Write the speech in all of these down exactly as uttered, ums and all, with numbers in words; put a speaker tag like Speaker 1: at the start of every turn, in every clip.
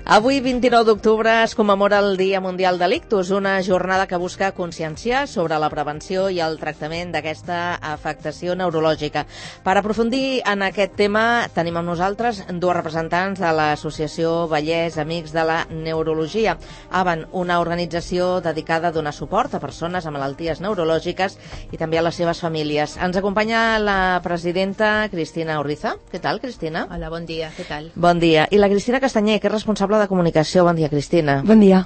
Speaker 1: Avui, vint-i-nou d'octubre, es commemora el Dia Mundial de l'Ictus, una jornada que busca conscienciar sobre la prevenció i el tractament d'aquesta afectació neurològica. Per aprofundir en aquest tema, tenim amb nosaltres dos representants de l'Associació Vallès Amics de la Neurologia. AVAN, una organització dedicada a donar suport a persones amb malalties neurològiques i també a les seves famílies. Ens acompanya la presidenta Cristina Urriza. Què tal, Cristina?
Speaker 2: Hola, bon dia, què tal?
Speaker 1: Bon dia. I la Cristina Castanyer, que és responsable de comunicació. Bon dia, Cristina.
Speaker 3: Bon dia.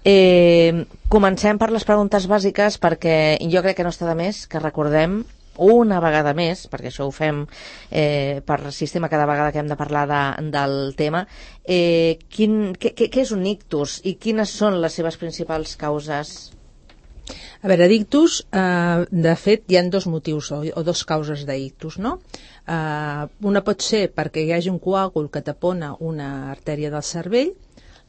Speaker 1: Eh, comencem per les preguntes bàsiques, perquè jo crec que no està de més que recordem una vegada més, perquè això ho fem eh, per sistema cada vegada que hem de parlar de, del tema, eh, quin, què, què és un ictus i quines són les seves principals causes?
Speaker 2: A veure, d'ictus, eh, de fet, hi ha dos motius o, o dos causes d'ictus, no? Eh, una pot ser perquè hi hagi un coàgul que tapona una artèria del cervell,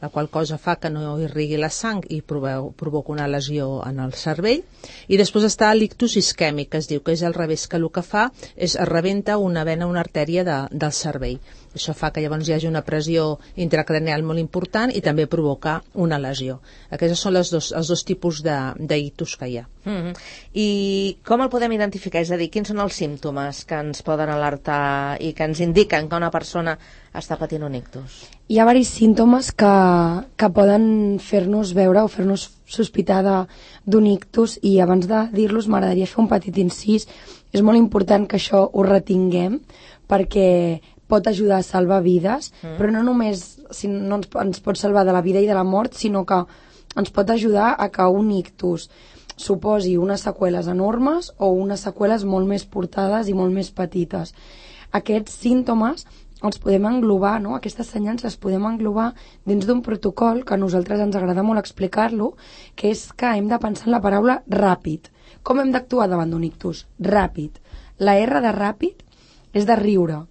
Speaker 2: la qual cosa fa que no irrigui la sang i provoca una lesió en el cervell. I després està l'ictus isquèmic, que es diu que és al revés, que el que fa és es rebenta una vena, una artèria de, del cervell. Això fa que llavors hi hagi una pressió intracranial molt important i també provoca una lesió. Aquests són les dos, els dos tipus d'ictus que hi ha.
Speaker 1: Mm-hmm. I com el podem identificar? És a dir, quins són els símptomes que ens poden alertar i que ens indiquen que una persona està patint un ictus?
Speaker 3: Hi ha diversos símptomes que, que poden fer-nos veure o fer-nos sospitar d'un ictus, i abans de dir-los m'agradaria fer un petit incís. És molt important que això ho retinguem perquè pot ajudar a salvar vides, mm. però no només si no ens, ens pot salvar de la vida i de la mort, sinó que ens pot ajudar a que un ictus suposi unes seqüeles enormes o unes seqüeles molt més portades i molt més petites. Aquests símptomes els podem englobar, no? Aquestes senyals les podem englobar dins d'un protocol que a nosaltres ens agrada molt explicar-lo, que és que hem de pensar en la paraula ràpid. Com hem d'actuar davant d'un ictus? Ràpid. La R de ràpid és de riure.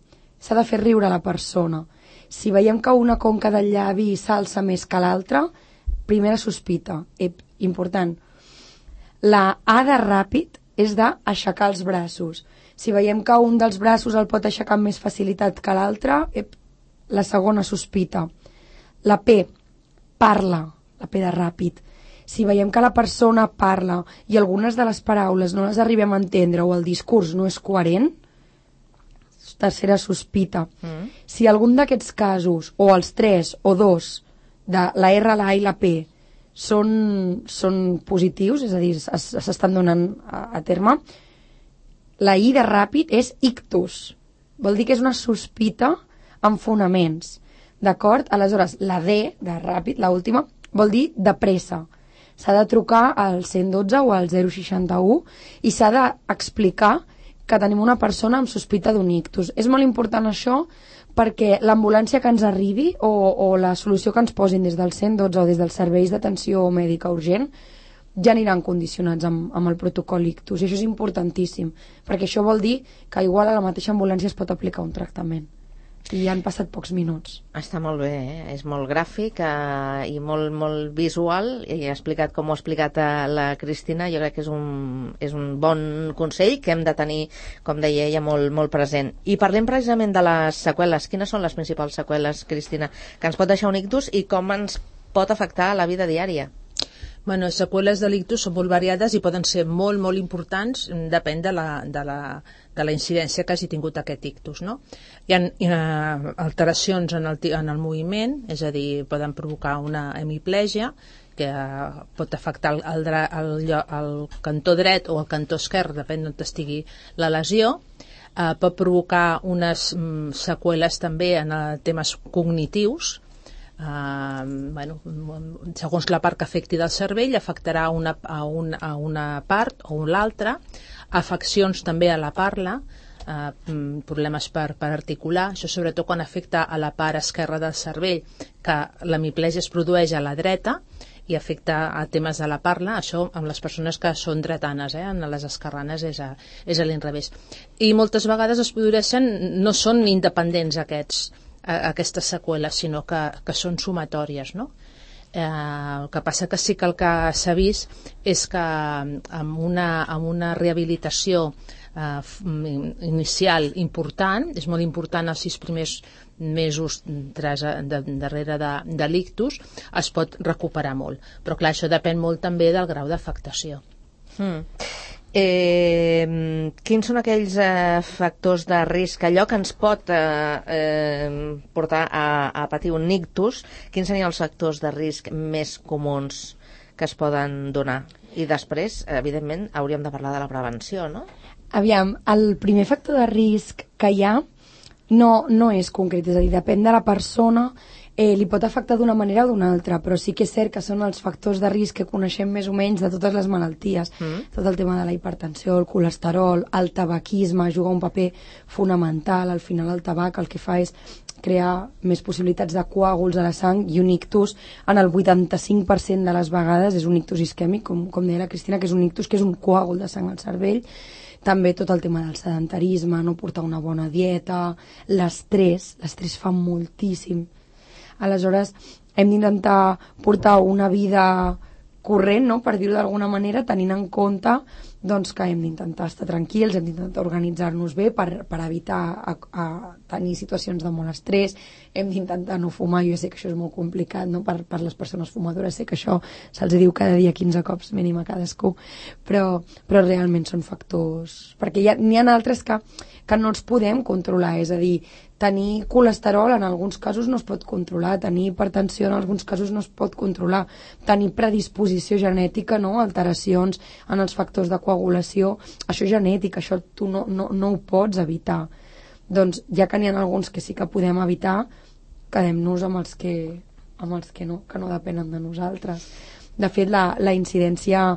Speaker 3: S'ha de fer riure a la persona. Si veiem que una conca del llavi s'alça més que l'altra, primera sospita. Ep, important. La A de ràpid és d'aixecar els braços. Si veiem que un dels braços el pot aixecar amb més facilitat que l'altre, la segona sospita. La P, parla, la P de ràpid. Si veiem que la persona parla i algunes de les paraules no les arribem a entendre o el discurs no és coherent, tercera sospita. Mm. Si algun d'aquests casos, o els tres o dos, de la R, la A i la P, són, són positius, és a dir, s'estan donant a, a terme, la I de ràpid és ictus. Vol dir que és una sospita amb fonaments. D'acord? Aleshores, la D de ràpid, la última, vol dir de pressa. S'ha de trucar al cent dotze o al zero seixanta-u i s'ha d'explicar que tenim una persona amb sospita d'un ictus. És molt important això perquè l'ambulància que ens arribi o, o la solució que ens posin des del cent dotze o des dels serveis d'atenció mèdica urgent ja aniran condicionats amb, amb el protocol ictus, i això és importantíssim, perquè això vol dir que igual a la mateixa ambulància es pot aplicar un tractament. I han passat pocs minuts.
Speaker 1: Està molt bé, eh? És molt gràfic eh, i molt, molt visual, i ha explicat com ho ha explicat a la Cristina. Jo crec que és un, és un bon consell que hem de tenir, com deia ella, molt, molt present. I parlem precisament de les seqüeles. Quines són les principals seqüeles, Cristina, que ens pot deixar un ictus i com ens pot afectar a la vida diària?
Speaker 2: Bueno, les seqüeles de l'ictus són molt variades i poden ser molt, molt importants, depèn de la, de la, de la incidència que hagi tingut aquest ictus, no? Hi ha, hi ha alteracions en el, en el moviment, és a dir, poden provocar una hemiplegia, que pot afectar el, el, el, el cantó dret o el cantó esquerre, depèn d'on estigui la lesió. Uh, pot provocar unes um, seqüeles també en uh, temes cognitius. Uh, bueno, segons la part que afecti del cervell afectarà una, a, un, a una part o l'altra, afeccions també a la parla, uh, problemes per, per articular, això sobretot quan afecta a la part esquerra del cervell, que l'hemiplegia es produeix a la dreta i afecta a temes de la parla, això amb les persones que són dretanes, eh? En les esquerranes és a, és a l'inrevés. I moltes vegades es produeixen, no són independents aquests aquestes seqüeles, sinó que, que són sumatòries, no? Eh, el que passa que sí que el que s'ha vist és que amb una, amb una rehabilitació eh, inicial important, és molt important els sis primers mesos tras, de, darrere de, de l'ictus, es pot recuperar molt. Però clar, això depèn molt també del grau d'afectació.
Speaker 1: Mm. Eh, quins són aquells eh, factors de risc, allò que ens pot eh, eh, portar a, a patir un ictus? Quins serien els factors de risc més comuns que es poden donar? I després, evidentment, hauríem de parlar de la prevenció, no?
Speaker 3: Aviam, el primer factor de risc que hi ha no, no és concret, és a dir, depèn de la persona, eh, li pot afectar d'una manera o d'una altra, però sí que és cert que són els factors de risc que coneixem més o menys de totes les malalties. Mm. Tot el tema de la hipertensió, el colesterol, el tabaquisme juga un paper fonamental. Al final el tabac el que fa és crear més possibilitats de coàguls a la sang, i un ictus en el vuitanta-cinc per cent de les vegades és un ictus isquèmic, com, com deia la Cristina, que és un ictus que és un coàgul de sang al cervell. També tot el tema del sedentarisme, no portar una bona dieta, l'estrès, l'estrès fa moltíssim. Aleshores, hem d'intentar portar una vida corrent, no?, per dir-ho d'alguna manera, tenint en compte doncs, que hem d'intentar estar tranquils, hem d'intentar organitzar-nos bé per, per evitar a, a tenir situacions de molt estrès, hem d'intentar no fumar. Jo sé que això és molt complicat, no?, per, per les persones fumadores, sé que això se'ls diu cada dia quinze cops mínim a cadascú, però, però realment són factors, perquè n'hi ha, ha altres que, que no els podem controlar, és a dir, tenir colesterol en alguns casos no es pot controlar, tenir hipertensió en alguns casos no es pot controlar, tenir predisposició genètica, no?, alteracions en els factors de coagulació, això és genètic, això tu no, no, no ho pots evitar. Doncs ja que n'hi ha alguns que sí que podem evitar, quedem-nos amb els que, amb els que no, que no depenen de nosaltres. De fet, la, la incidència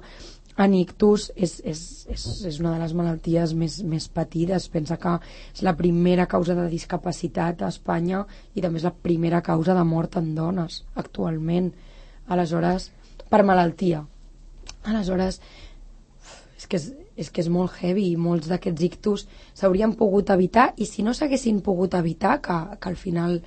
Speaker 3: en ictus és, és, és, és una de les malalties més, més patides. Pensa que és la primera causa de discapacitat a Espanya i també és la primera causa de mort en dones actualment. Aleshores, per malaltia. Aleshores, és que és, és que és molt heavy, i molts d'aquests ictus s'haurien pogut evitar, i si no s'haguessin pogut evitar, que, que al final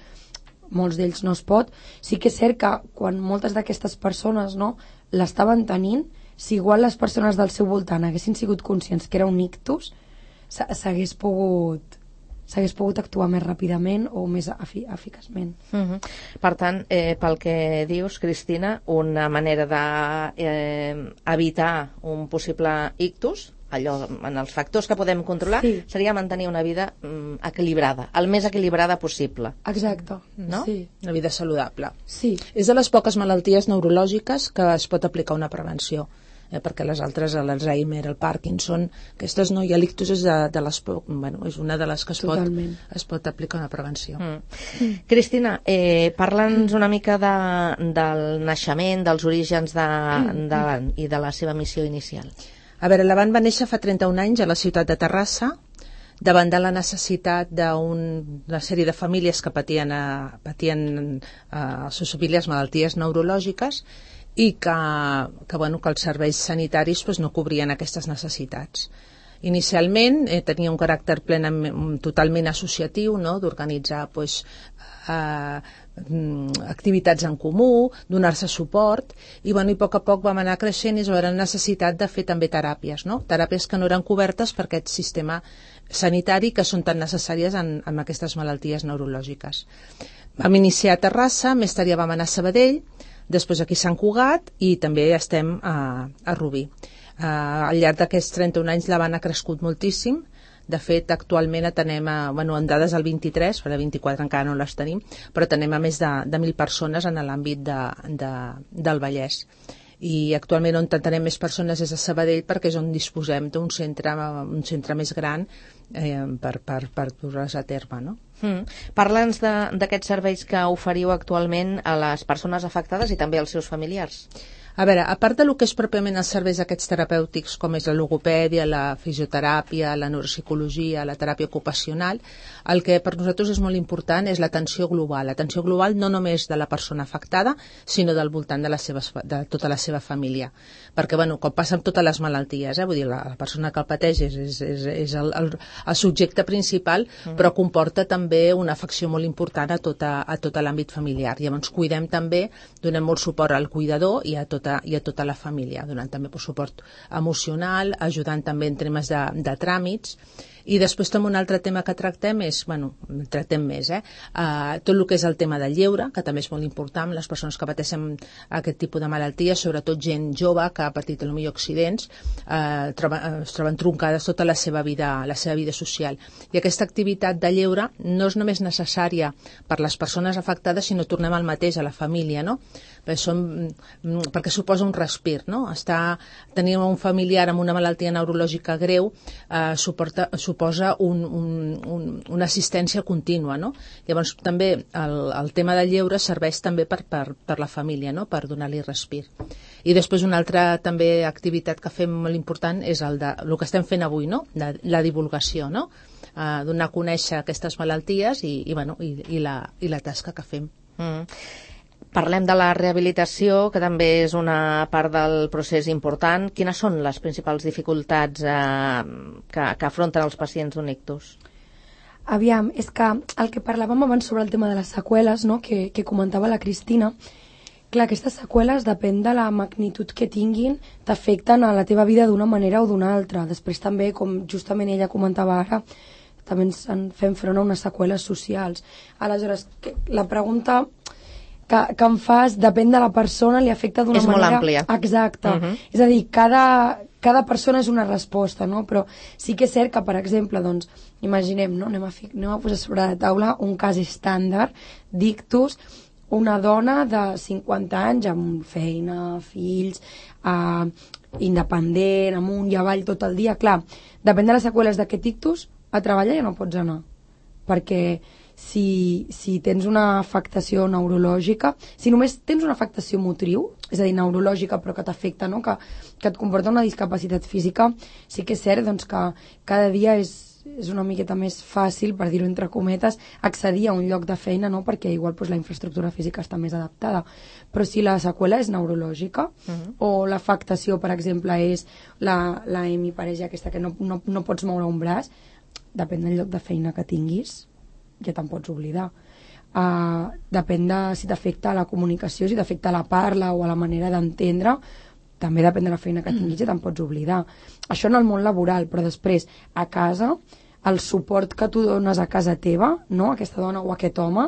Speaker 3: molts d'ells no es pot, sí que és cert que quan moltes d'aquestes persones, no, l'estaven tenint, si igual les persones del seu voltant haguessin sigut conscients que era un ictus, s'hagués pogut s'hagués pogut actuar més ràpidament o més efi eficaçment.
Speaker 1: Uh-huh. Per tant, eh, pel que dius, Cristina, una manera d'evitar eh, un possible ictus, allò, en els factors que podem controlar, sí, seria mantenir una vida mm, equilibrada, el més equilibrada possible.
Speaker 3: Exacte,
Speaker 1: no?
Speaker 3: Sí.
Speaker 2: Una vida saludable.
Speaker 3: Sí.
Speaker 2: És de les poques malalties neurològiques que es pot aplicar una prevenció. Eh, perquè les altres, l'Alzheimer, el Parkinson, aquestes no, i l'ictus és, de, de les, bueno, és una de les que es pot, es pot aplicar una prevenció. Mm.
Speaker 1: Mm. Cristina, eh, parla'ns una mica de, del naixement, dels orígens de, de l'Avant i de la seva missió inicial.
Speaker 2: A veure, l'Avant va néixer fa trenta-un anys a la ciutat de Terrassa, davant de la necessitat d'una sèrie de famílies que patien, a, patien a, a les seves famílies malalties neurològiques, i que, que, bueno, que els serveis sanitaris pues, no cobrien aquestes necessitats. Inicialment eh, tenia un caràcter plenament, totalment associatiu, no?, d'organitzar pues, eh, activitats en comú, donar-se suport, i, bueno, i a poc a poc vam anar creixent i es va haver necessitat de fer també teràpies, no? Teràpies que no eren cobertes per aquest sistema sanitari que són tan necessàries en, en aquestes malalties neurològiques. Vam iniciar a Terrassa, més tard ja vam anar a Sabadell, després aquí a Sant Cugat i també estem a, a Rubí. Uh, al llarg d'aquests trenta-un anys l'Avant ha crescut moltíssim. De fet, actualment atenem a, bueno, en dades del vint-i-tres, per a vint-i-quatre encara no les tenim, però atenem a més de, de mil persones en l'àmbit de, de, del Vallès. I actualment on atenem més persones és a Sabadell, perquè és on disposem d'un centre, un centre més gran eh, per, per, per dur-les a terme, no?
Speaker 1: Mm. Parla'ns d'aquests serveis que oferiu actualment a les persones afectades i també als seus familiars.
Speaker 2: A veure, a part del que és pròpiament els serveis aquests terapèutics, com és la logopèdia, la fisioteràpia, la neuropsicologia, la teràpia ocupacional, el que per nosaltres és molt important és l'atenció global. L'atenció global no només de la persona afectada, sinó del voltant de, les seves, de tota la seva família. Perquè, bueno, com passa amb totes les malalties, eh? Vull dir, la, la persona que el pateix és, és, és, és el, el, el subjecte principal, mm. però comporta també una afecció molt important a, tota, a tot l'àmbit familiar. Llavors cuidem també, donem molt suport al cuidador i a tot tota, i a tota la família, donant també suport emocional, ajudant també en temes de, de tràmits. I després també un altre tema que tractem és, bueno, tractem més, eh? Uh, tot el que és el tema del lleure, que també és molt important, les persones que pateixen aquest tipus de malalties, sobretot gent jove que ha patit potser accidents, uh, troba, uh, es troben truncades tota la seva vida, la seva vida social. I aquesta activitat de lleure no és només necessària per les persones afectades, sinó tornem al mateix, a la família, no? Perquè, som, perquè suposa un respir, no? Estar, tenir un familiar amb una malaltia neurològica greu uh, suporta, suposa un, un, un, una assistència contínua, no? Llavors també el, el tema del lleure serveix també per, per, per la família, no? Per donar-li respir. I després una altra també activitat que fem molt important és el, de, el que estem fent avui, no? La, la divulgació, no? Uh, donar a conèixer aquestes malalties i, i, bueno, i, i, la, i la tasca que fem.
Speaker 1: Mm. Parlem de la rehabilitació, que també és una part del procés important. Quines són les principals dificultats eh, que, que afronten els pacients d'un ictus?
Speaker 3: Aviam, és que el que parlàvem abans sobre el tema de les seqüeles, no?, que, que comentava la Cristina, clar, aquestes seqüeles, depèn de la magnitud que tinguin, t'afecten a la teva vida d'una manera o d'una altra. Després també, com justament ella comentava ara, també ens en fem front a unes seqüeles socials. Aleshores, que, la pregunta que, que em fas, depèn de la persona, li afecta d'una manera...
Speaker 1: És molt àmplia.
Speaker 3: Exacte.
Speaker 1: Uh -huh.
Speaker 3: És a dir, cada, cada persona és una resposta, no? Però sí que és cert que, per exemple, doncs, imaginem, no? Anem a, fi, anem a posar sobre la taula un cas estàndard d'ictus, una dona de cinquanta anys amb feina, fills, eh, independent, amunt i avall tot el dia. Clar, depèn de les seqüeles d'aquest ictus, a treballar ja no pots anar, perquè si, si tens una afectació neurològica, si només tens una afectació motriu, és a dir, neurològica però que t'afecta, no? que, que et comporta una discapacitat física, sí que és cert doncs, que cada dia és, és una miqueta més fàcil, per dir-ho entre cometes, accedir a un lloc de feina, no? Perquè igual doncs, la infraestructura física està més adaptada. Però si la seqüela és neurològica, uh-huh. o l'afectació, per exemple, és la, la hemiparèsia aquesta que no, no, no pots moure un braç, depèn del lloc de feina que tinguis, ja te'n pots oblidar. Uh, depèn de si t'afecta la comunicació, si t'afecta la parla o a la manera d'entendre, també depèn de la feina que tinguis, ja te'n pots oblidar. Això en el món laboral, però després, a casa, el suport que tu dones a casa teva, no? Aquesta dona o aquest home,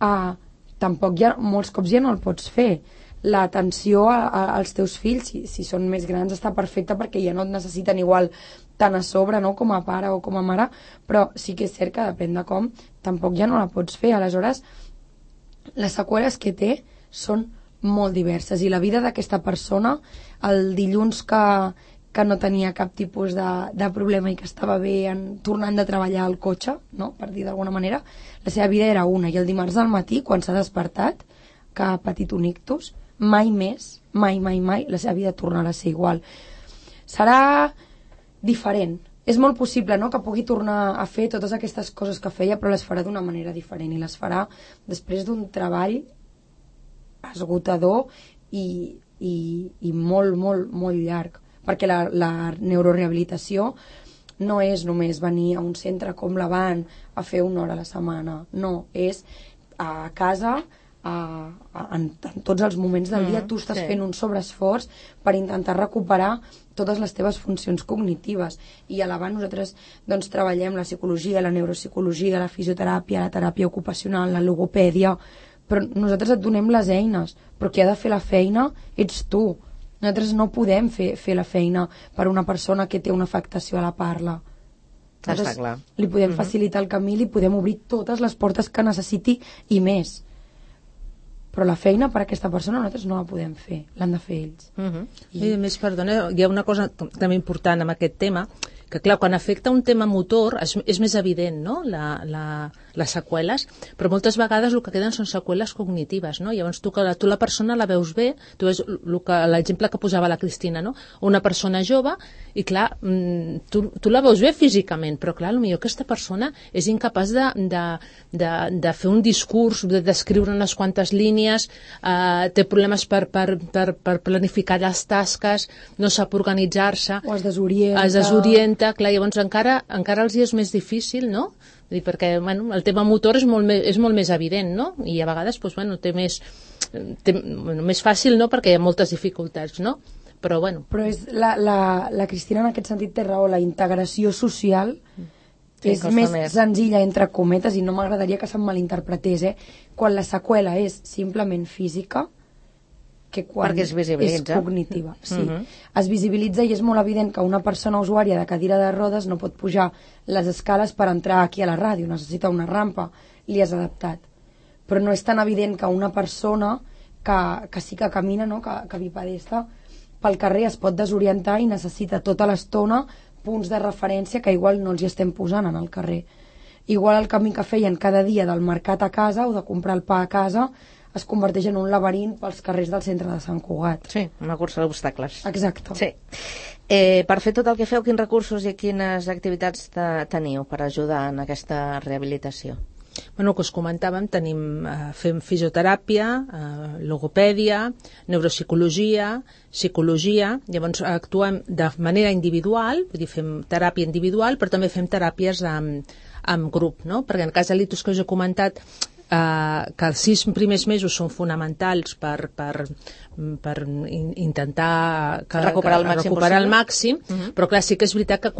Speaker 3: uh, tampoc ja, molts cops ja no el pots fer. L'atenció a, a, als teus fills, si, si són més grans, està perfecta perquè ja no et necessiten igual tant a sobre, no?, com a pare o com a mare, però sí que és cert que depèn de com, tampoc ja no la pots fer. Aleshores, les seqüeles que té són molt diverses i la vida d'aquesta persona, el dilluns que, que no tenia cap tipus de, de problema i que estava bé en, tornant de treballar al cotxe, no?, per dir d'alguna manera, la seva vida era una, i el dimarts al matí, quan s'ha despertat, que ha patit un ictus, mai més, mai, mai, mai, la seva vida tornarà a ser igual. Serà diferent. És molt possible, no?, que pugui tornar a fer totes aquestes coses que feia, però les farà d'una manera diferent i les farà després d'un treball esgotador i, i, i molt, molt, molt llarg. Perquè la, la neurorehabilitació no és només venir a un centre com la Van a fer una hora a la setmana. No, és a casa... A, a, en, en tots els moments del dia mm, tu estàs sí. fent un sobreesforç per intentar recuperar totes les teves funcions cognitives, i a l'avant nosaltres doncs, treballem la psicologia, la neuropsicologia, la fisioteràpia, la teràpia ocupacional, la logopèdia, però nosaltres et donem les eines, però qui ha de fer la feina ets tu. Nosaltres no podem fer, fer la feina per una persona que té una afectació a la parla. Nosaltres
Speaker 1: Està clar.
Speaker 3: Li podem
Speaker 1: Mm-hmm.
Speaker 3: facilitar el camí, li podem obrir totes les portes que necessiti i més. Però la feina per a aquesta persona nosaltres no la podem fer, l'han de fer ells.
Speaker 2: Uh-huh. I... I a més, perdona, hi ha una cosa també important amb aquest tema, que clar, quan afecta un tema motor és, és més evident, no?, la, la, les seqüeles, però moltes vegades el que queden són seqüeles cognitives, no? Llavors tu, que la, tu la persona la veus bé, tu veus l'exemple que posava la Cristina, no?, una persona jove, i clar, tu, tu la veus bé físicament, però clar, potser aquesta persona és incapaç de, de, de, de fer un discurs, de descriure unes quantes línies, eh, té problemes per, per, per, per planificar les tasques, no sap organitzar-se,
Speaker 3: o es desorienta,
Speaker 2: es desorienta, clar, llavors encara, encara els hi és més difícil, no?, Vull dir, perquè bueno, el tema motor és molt, més, és molt més evident, no? I a vegades doncs, bueno, té més, té, bueno, més fàcil, no? Perquè hi ha moltes dificultats, no? Però, bueno.
Speaker 3: Però és la, la, la Cristina en aquest sentit té raó, la integració social sí, és més, més senzilla, entre cometes, i no m'agradaria que se'm malinterpretés, eh? Quan la seqüela és simplement física, que quan
Speaker 1: perquè es visibilitza.
Speaker 3: És cognitiva. Sí.
Speaker 1: Uh -huh.
Speaker 3: Es visibilitza i és molt evident que una persona usuària de cadira de rodes no pot pujar les escales per entrar aquí a la ràdio, necessita una rampa, li has adaptat. Però no és tan evident que una persona que, que sí que camina, no? que, que bipedesta, pel carrer es pot desorientar i necessita tota l'estona punts de referència que igual no els hi estem posant en el carrer. Igual el camí que feien cada dia del mercat a casa o de comprar el pa a casa es converteix en un laberint pels carrers del centre de Sant Cugat.
Speaker 1: Sí, una cursa d'obstacles.
Speaker 3: Exacte.
Speaker 1: Sí. Eh, per fer tot el que feu, quins recursos i quines activitats te, teniu per ajudar en aquesta rehabilitació?
Speaker 2: Bueno, que us comentàvem, tenim, eh, fem fisioteràpia, eh, logopèdia, neuropsicologia, psicologia, llavors actuem de manera individual, vull dir, fem teràpia individual, però també fem teràpies amb, amb grup, no? Perquè en el cas de l'ictus que us he comentat, Uh, que els sis primers mesos són fonamentals per, per, per in, intentar que,
Speaker 1: recuperar el màxim,
Speaker 2: recuperar el màxim
Speaker 1: uh -huh.
Speaker 2: però clar, sí que és veritat que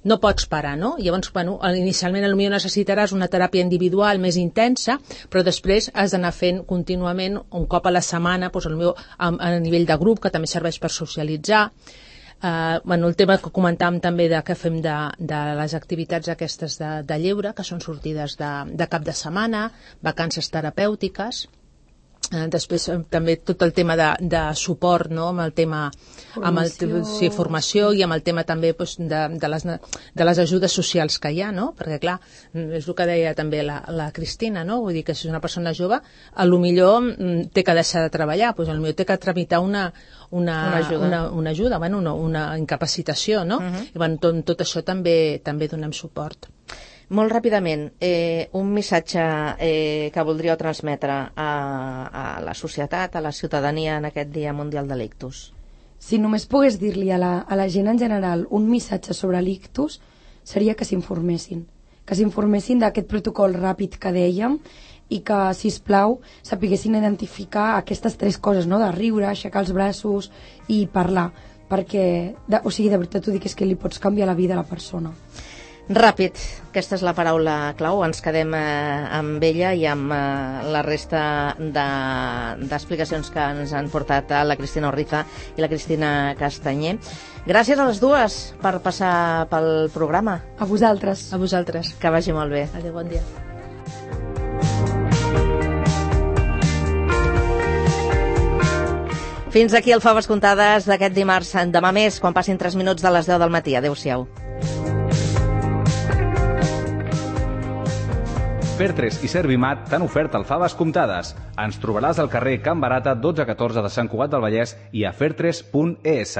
Speaker 2: no pots parar, no? Llavors, bueno, inicialment potser necessitaràs una teràpia individual més intensa, però després has d'anar fent contínuament un cop a la setmana, doncs, potser a, a nivell de grup, que també serveix per socialitzar. Uh, bueno, el tema que comentàvem també de que fem de, de les activitats aquestes de, de lleure, que són sortides de, de cap de setmana, vacances terapèutiques. Uh, després uh, també tot el tema de, de suport, no? Amb el tema formació. Amb el, sí, formació i amb el tema també doncs, de, de, les, de les ajudes socials que hi ha, no? Perquè clar, és el que deia també la, la Cristina, no? Vull dir que si és una persona jove, a lo millor mm, té que deixar de treballar, doncs a lo millor té que tramitar una Una,
Speaker 1: una ajuda,
Speaker 2: una, una, ajuda bueno, una, una incapacitació, no? Uh-huh. I bueno, tot, tot això també també donem suport.
Speaker 1: Molt ràpidament, eh, un missatge eh, que voldríeu transmetre a, a la societat, a la ciutadania en aquest Dia Mundial de l'Ictus.
Speaker 3: Si només pogués dir-li a la, a la gent en general un missatge sobre l'ictus, seria que s'informessin. Que s'informessin d'aquest protocol ràpid que dèiem i que, sisplau, sapiguessin identificar aquestes tres coses, no? De riure, aixecar els braços i parlar, perquè, de, o sigui, de veritat t'ho dic, és que li pots canviar la vida a la persona.
Speaker 1: Ràpid, aquesta és la paraula clau, ens quedem eh, amb ella i amb eh, la resta d'explicacions de, que ens han portat a la Cristina Orriza i la Cristina Castanyer. Gràcies a les dues per passar pel programa.
Speaker 3: A vosaltres.
Speaker 2: A vosaltres.
Speaker 1: Que vagi molt bé.
Speaker 2: Adéu, bon dia.
Speaker 1: Fins aquí el Faves Comptades d'aquest dimarts. Demà més, quan passin tres minuts de les deu del matí. Adéu-siau.
Speaker 4: Fertres i Servimat t'han ofert el Faves Comptades. Ens trobaràs al carrer Can Barata dotze catorze de Sant Cugat del Vallès i a fertres punt es.